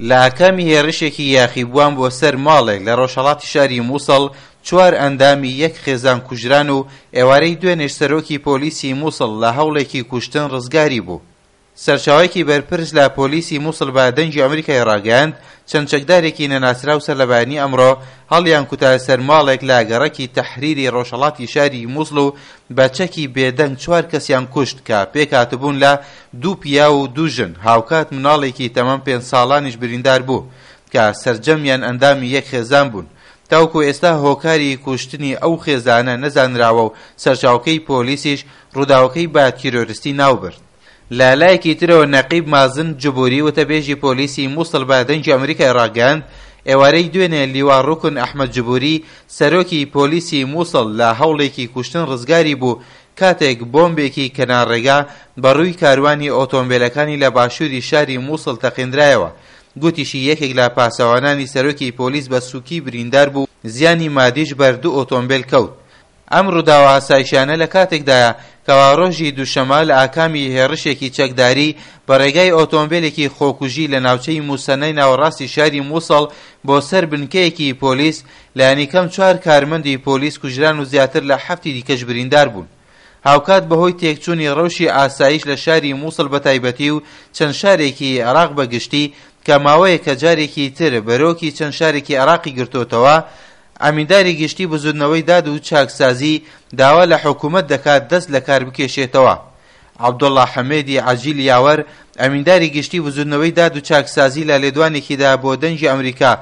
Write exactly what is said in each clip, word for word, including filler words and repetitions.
لە ئاکامی هێرشێکی یاخیبووان بۆ سەر ماڵێک لە ڕۆژهەڵاتی شاری مووسڵ چوار ئەندامی یەک خێزان کوژران و ئێوارەی دوێنێش سەرۆکی پۆلیسی مووسڵ لە هەوڵێکی کوشتن ڕزگاری بوو. سەرچاوەیەکی بەرپرس لە پۆلیسی مووسڵ بە دەنگی ئەمریکای ڕاگەیاند، چەند چەکدارێکی نەناسراو سەر لە بەیانی ئەمڕۆ هەڵیان کوتایە سەر ماڵێک لە گەڕەکی تەحریری ڕۆژهەڵاتی شاری مووسڵ و بە چەکی بێدەنگ چوار کەسیان کوشت کە پێکهاتبوون لە دوو پیاو و دوو ژن، هاوکات مناڵێکی تەمەن پێنج ساڵانیش بریندار بوو کە سەرجەمیان ئەندامی یەک خێزان بوون. تاوەکو ئێستا هۆکاری کوشتنی ئەو خێزانە نەزانراوە و سەرچاوەکەی پۆلیسیش ڕووداوەکەی بە تیرۆرستی ناوبرد. لە لایەکی ترەوە نەقیب مازن جبوری وتەبێژی پۆلیسی موسڵ بە دەنگی ئەمریکای ڕاگەیاند، ئێوارەی دوێنێ لیوا ڕوکن ئەحمەد جبوری سەرۆکی پۆلیسی موسڵ لە هەوڵێکی کوشتن ڕزگاری بوو کاتێک بۆمبێکی کەنار ڕێگا بە ڕووی کاروانی ئۆتۆمبێلەکانی لە باشووری شاری موسڵ تەقێندرایەوە. گوتیشی یەکێک لە پاسەوانانی سەرۆکی پۆلیس بە سووکی بریندار بوو، زیانی مادیش بەر دوو ئۆتۆمبێل کەوت. ئەم ڕووداوە ئاسایشیانە لە کاتێکدایە کەوا ڕۆژی دووشەممە لە ئاکامی هێڕشێکی چەکداری بە ڕێگای ئۆتۆمبێلێکی خۆکوژی لە ناوچەی موسەنای ناوەڕاستی شاری موسڵ بۆ سەر بنکەیەکی پۆلیس لانیکەم چوار کارمەندی پۆلیس کوژران و زیاتر لە حەفتی دیکەش بریندار بوون. هاوکات بەهۆی تێکچوونی ڕەوشی ئاسایش لە شاری موسڵ بەتایبەتی و چەند شارێکی عێراق بە گشتی کە ماوەیەکە جارێکی تر بەرۆکی چەند شارێکی عێراقی گرتۆتەوە، ئەمینداری گشتی بزوتنەوەی داد و چاکسازی داوا لە حکومەت دەکات دەست لەکار بکێشێتەوە. عەبدوڵا حەمێدی عەجیل یاوەر، ئەمینداری گشتی بزوتنەوەی داد و چاکسازی لە لێدوانێکیدا بۆ دەنگی ئەمریکا،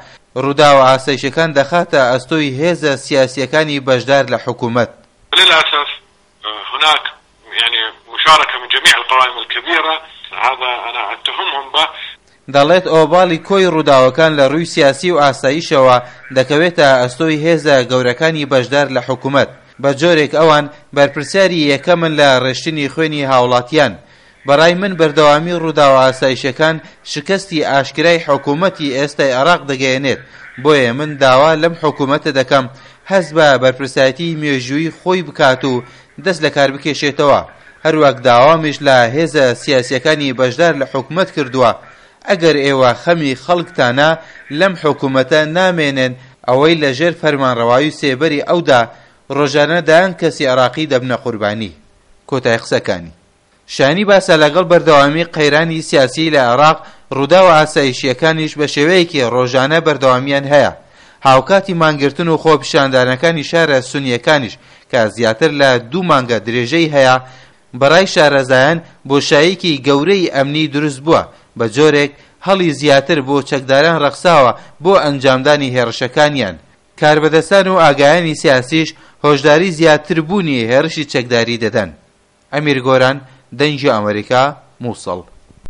ڕووداوە ئاسایشەکان دەخاتە ئەستۆی هێزە سیاسییەکانی بەشدار لە حکومەت. للاسف هناك يعني مشاركة من جميع القوائم الكبيرة هذا انا اتهمهم به. دەڵێت ئۆباڵی کۆی ڕووداوەکان لە ڕووی سیاسی و ئاسایشەوە دەکەوێتە ئەستۆی هێزە گەورەکانی بەشدار لە حکومەت، بە جۆرێک ئەوان بەرپرسیاری یەکەمن لە ڕێشتنی خوێنی هاوڵاتیان. بەڕای من بەردەوامی ڕووداوە ئاسایشەکان شکستی ئاشکرای حکومەتی ئێستای عێراق دەگەیەنێت، بۆیە من داوا لەم حکومەتە دەکەم هەست بە بەرپرسایەتی مێژوویی خۆی بکات و دەست لەکار بکێشێتەوە، هەروەک داوامیش لە هێزە سیاسیەکانی بەشدار لە حکومەت کردووە ئەگەر ئێوە خەمی خەڵکتانە لەم حکومەتە نامێنن ئەوەی لە ژێر فەرمانڕەوایی و سێبەری ئەودا ڕۆژانە دەیان کەسی عێراقی دەبنە قوربانی. کۆتای قسەکانی. شایانی باسە لەگەڵ بەردەوامی قەیرانی سیاسی لە عێراق ڕووداوە ئاسایشییەکانیش بە شێوەیەکی ڕۆژانە بەردەوامیان هەیە، هاوکاتی مانگرتن و خۆپیشاندانەکانی شارە سونییەکانیش کە زیاتر لە دوو مانگە درێژەی هەیە، بەڕای شارەزایان بۆشاییەکی گەورەی ئەمنی دروستبووە، بە جۆرێک هەڵی زیاتر بۆ چەکداران ڕەخساوە بۆ ئەنجامدانی هێڕشەکانیان. کاربەدەستان و ئاگایانی سیاسیش هۆشداری زیاتربوونی هێڕشی چەکداری دەدەن. ئەمیر گۆران، دەنگی ئەمەریکا، موسڵ.